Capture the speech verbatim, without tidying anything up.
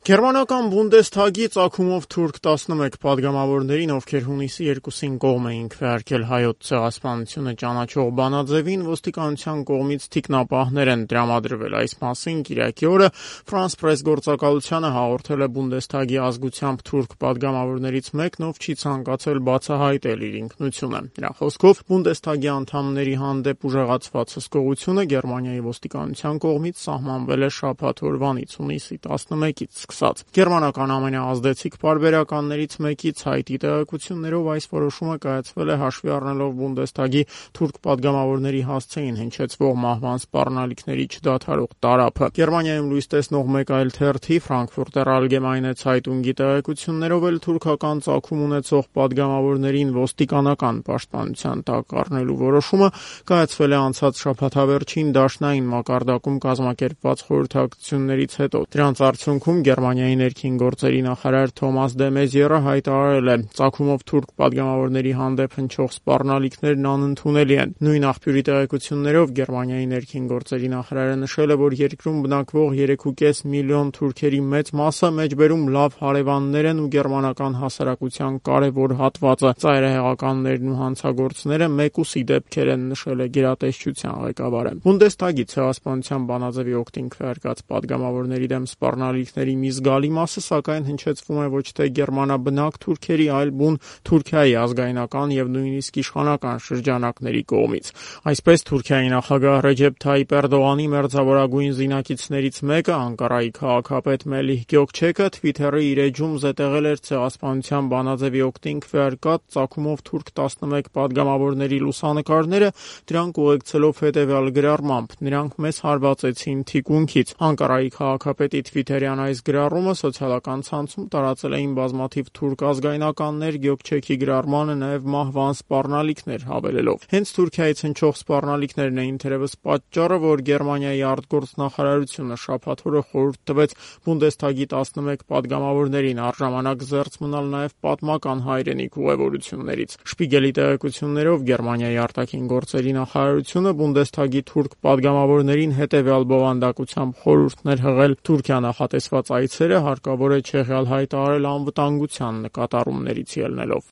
Գերմանական Բունդեսթագի ծագումով թուրք տասնմեկ պատգամավորներին, ովքեր հունիսի երկուսին կողմ էին քվեարկել հայոց ցեղասպանությունը ճանաչող բանաձևին, ոստիկանության կողմից թիկնապահներ են տրամադրվել։ Այս մասին կիրակի օրը France Press գործակալությանը հաղորդել է Բունդեսթագի ազգությամբ թուրք պատգամավորներից մեկն, ով չի ցանկացել բացահայտել իր ինքնությունը։ Նրա խոսքով Բունդեսթագի անդամների հանդեպ ուժեղացված հսկողությունը Գերմանիայի ոստիկանության կողմից սահմանվել է շաբաթ օրվանից, հունիսի տասնմեկից սկսած։ Գերմանական ամենաազդեցիկ պարբերականներից մեկից Հայտի տեղեկություններով այս որոշումը կայացվել է հաշվի առնելով Բունդեսթագի թուրք պատգամավորների հասցեին հնչեցվող մահվան սպառնալիքների չդադարող տարափը։ Գերմանիայում լույս տեսնող մեկ այլ թերթի Frankfurter Allgemeine Zeitung-ի տեղեկություններով էլ թուրքական ծագում ունեցող պատգամավորներին ոստիկանական պաշտպանության տակ առնելու որոշումը կայացվել է անցած շաբաթավերջին դաշնային մակարդակում կազմակերպված խորհրդակցություններից հետո։ Դրանց արդյունքում Գերմանիայի ներքին գործերի նախարար Թոմաս դե Մեզիերը հայտարարել է. «Ծագումով թուրք պատգամավորների հանդեպ հնչող սպառնալիքներն անընդունելի են»։ Նույն աղբյուրի տեղեկություններով Գերմանիայի ներքին գործերի նախարարը նշել է, որ երկրում բնակվող երեք ու կես միլիոն թուրքերի մեծ մասը մեջբերում լավ հարևաններ են ու գերմանական հասարակության կարևոր հատվածը։ Ծայրահեղականներն ու հանցագործները մեկուսի դեպքեր են, նշել է գերատեսչության ղեկավարը։ Բունդեսթագի ցեղասպանության բանաձևի օգտին քվեարկած պատգամավորների դեմ սպառնալիքների մի զգալի մասը, սակայն, հնչեցվում է ոչ թե գերմանաբնակ թուրքերի, այլ բուն Թուրքիայի ազգայնական եւ նույնիսկ իշխանական շրջանակների կողմից։ Այսպես, Թուրքիայի նախագահ Ռեջեփ Թայիպ Էրդողանի մերձավորագույն զինակիցներից մեկը, Անկարայի քաղաքապետ Մելիհ Գյոքչեքը, Twitter-ի իր էջում զետեղել էր ցեղասպանության բանաձևի օգտին քվեարկած ծագումով թուրք տասնմեկ պատգամավորների լուսանկարները, դրանք ուղեկցելով հետևյալ գրառմամբ. «Նրանք մեզ հարվածեցին թիկունքից»։ Անկարայի քաղաքապետի Twitter-յան այս գրառումը սոցիալական ցանցում տարածել էին բազմաթիվ թուրք ազգայնականներ, Գյոքչեքի գրառմանը նաև մահվան սպառնալիքներ հավելելով։ Հենց Թուրքիայից հնչող սպառնալիքներն էին թերևս պատճառը, որ Գերմանիայի արտգործնախարարությունը շաբաթ օրը խորհուրդ տվեց Բունդեսթագի տասնմեկ պատգամավորներին առժամանակ զերծ մնալ նաև պատմական հայրենիք ուղևորություններից։ Շպիգելի տեղեկություններով Գերմանիայի արտաքին գործերի նախարարությունը Բունդեսթագի թուրք պատգամավորներին հետևյալ բովանդակությամբ խորհուրդներ հղել. Թուրքիա նախատեսված այցերը հարկավոր է չեղյալ հայտարարել անվտանգության նկատառումներից ելնելով։